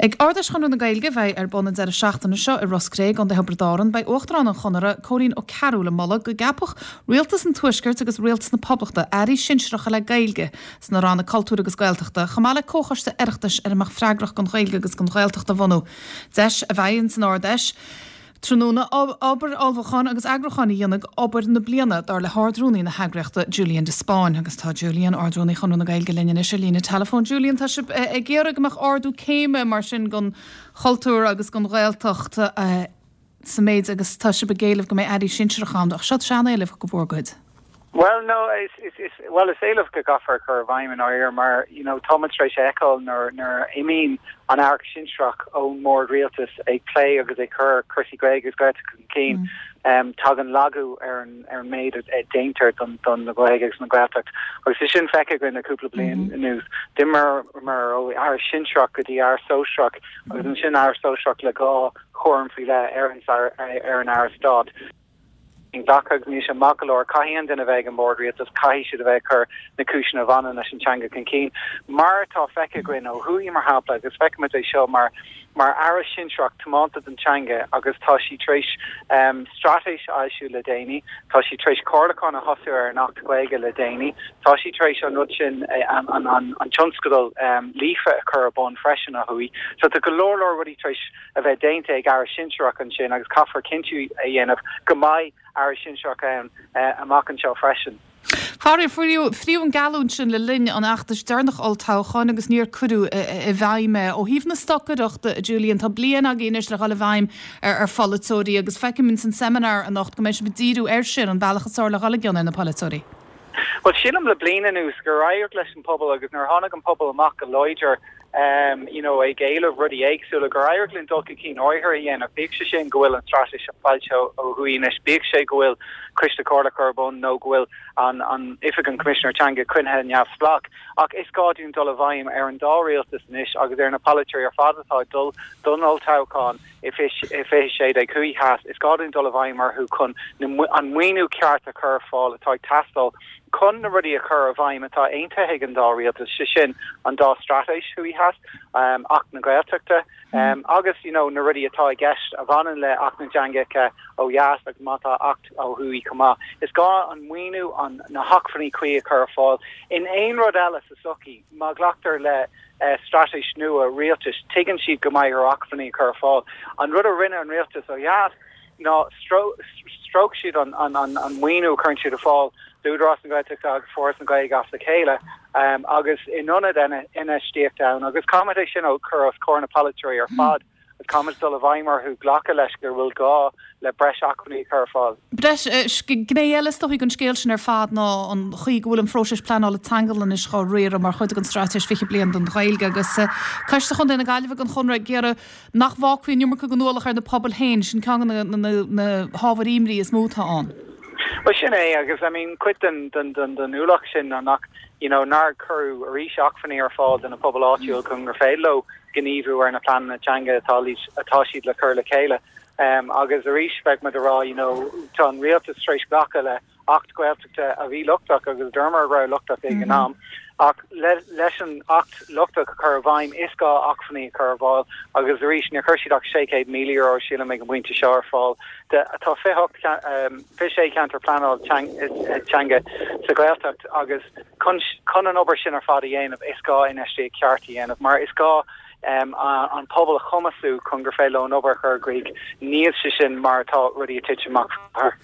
Ag Ard-Fheis Chonradh na Gaeilge a bheidh ar bun an deireadh seachtaine seo i Ros Cré, gContae Thiobraid Árann, beidh Uachtarán an Chonartha, Cóilín Ó Cearúil ag moladh go gceapfadh Rialtas an Tuaiscirt agus Rialtas na Poblachta airí sinsearacha le Gaeilge sna ranna Cultúir agus Gaeltachta, chomh maith le comhchoiste Oireachtais ar a mbeadh freagrach don Ghaeilge agus don Ghaeltacht a bhunú. Deis a bheidh ins an Ard-Fheis tráthnóna obair ullmhúcháin agus eagrúcháin a dhéanamh d'obair na bliana, dar le hArd-Rúnaí na heagraíochta, Julian de Spáinn. Agus tá Julian, Ard-Rúnaí Chonradh na Gaeilge linn anois ar líne teileafóin. Julian, tá sibh ag iarraidh go mbeadh ardú céime mar sin don chultúr agus don Ghaeltacht sa méid agus tá sibh ag éileamh go mbeidh airí sinsearacha ann, ach seo sean-éileamh de bhur gcuid. Bhuel, no, is, is, is, bhuel, is éileamh go gcaithfear a chur i bhfeidhm i ndáiríre mar, you know, tá muid tar éis a fheiceáil nuair, nuair a imíonn an Aire Sinsearach ón mbord rialtais ag plé agus ag cur cúrsaí Gaeilge agus Gaeltachta chun cinn, um, tagann lagú ar an, ar an méid a, a déantar don, don na Gaeilge agus na Gaeltacht. Agus é sin feicthe againn le cúpla bliain anuas. D'imíomar ó Aire Sinsearach go dtí Aire Sóisearach agus ansin Aire Sóisearach le dhá chúram faoi leith ar an, ar an Aire Stáit. Inghlactha agus níl sé maith go leor. Caithfidh an duine a bheith ag an mbord rialtais, caithfidh siad a bheith ag cur na cúiseanna a bhaineann leis an teanga chun cinn, mar atá feicthe againn ó thuaidh, mar shampla, agus feicimid é seo mar mar aire sinsearach tiomanta don teanga agus tá sí tar éis straitéis a fhoilsiú le déanaí, tá sí tar éis comhairliúchán a thosú ar an Acht Gaeilge le déanaí, tá sí tar éis an rud sin, an tionscadal Líofa a chur ar bun freisin ó thuaidh. So tá go leor leor rudaí tar éis a bheith déanta ag Aire Sinsearach ansin agus caithfear cinntiú a dhéanamh go mbeidh Aire Sinsearach ann amach anseo freisin. Faraor, fríodh an geallúint sin le linn an fheachtais deireanach olltoghcháin agus níor cuireadh i bhfeidhm é. Ó thaobh na stocaireachta, a Julian, tá bliain agaibh anois le dhul i bhfeidhm ar pholaiteoirí agus feicim ins an seimineár anocht go mbeidh sibh ag díriú air sin, an bealach is fearr le dhul i gcion ar na polaiteoirí. Bhuel, sílim le bliain anuas gur éirigh leis an pobal agus nuair a tháinig an pobal amach go láidir you know ag éileamh rudaí éagsúla, gur éirigh linn dul chun cinn áirithe a dhéanamh, bíodh sé sin go bhfuil an straitéis foilsithe ó thuaidh anois, bíodh sé go bhfuil Coiste Comhairleach ar bun nó go bhfuil an an Oifig an Choimisinéir Teanga coinnithe neamhspleách. Ach is gá dúinn dul i bhfeidhm ar an dá rialtas anois agus ar na polaiteoirí ar fad atá ag dul don olltoghchán i 2016 thuaidh theas, is gá dúinn dul i bhfeidhm orthu chun an maoiniú ceart a chur ar fáil atá ag teastáil chun na rudaí a chur i bhfeidhm atá aontaithe ag an dá rialtas, sé sin an dá straitéis thuaidh theas, Acht na Gaeltachta agus you know na rudaí atá i gceist a bhaineann le Acht na dTeangacha ó dheas agus má tá Acht ó thuaidh chomh maith. Is gá an maoiniú, na hacmhainní cuí a chur ar fáil. In aon rud eile sa tsochaí, má ghlactar le straitéis nua rialtais, tuigeann siad go mbeidh orthu acmhainní a chur ar fáil. An rud a rinne an rialtas ó dheas ná stróic siad an maoiniú a chuireann siad ar fáil d'Údarás na Gaeltachta agus Foras na Gaeilge as a chéile agus in ionad infheistíocht ann agus caithfimid é sin a chur os comhair na polaiteoirí ar fad agus caithfimid dul i bhfeidhm orthu glacadh leis go bhfuil gá le breis acmhainní a chur ar fáil. Breis, Gné eile is dóichí den scéal sin ar fad ná an chaoi go bhfuil an phróiseas pleanála teanga anois dhá riaradh mar chuid den Straitéis 20 Bliain don Ghaeilge agus Coiste Chontae na Gaillimhe den Chonradh ag iarraidh nach bhfágfaí an iomarca den ualach ar na pobail féin, sin ceann de na hábhair imní is mó atá ann. Bhuel sin é agus I mean cuid den den den den ualach sin ná nach you know nár cuireadh arís acmhainní ar fáil do na pobail áitiúil chun gur féidir leo gníomhú ar na pleananna teanga atá atá siad le cur le chéile. Um, agus arís beidh muid ag rá you know tá an rialtas tar éis glacadh le Acht Gaeltachta a bhí lochtach agus dúramar go raibh lochtach ag an am, ach leis an Acht lochtach a chur i bhfeidhm is gá acmhainní a chur ar fáil agus arís níor chuir siad ach €600,000 sílim ag an bpointe seo ar fáil de tá 28 26 ceantar pleanáil teanga sa Ghaeltacht agus chun chun an obair sin ar fad a dhéanamh is gá infheistíocht cheart a dhéanamh mar is gá an pobal a chumasú chun gur féidir leo an obair a chur i gcrích. Níl sé sin mar atá rudaí ag titim amach.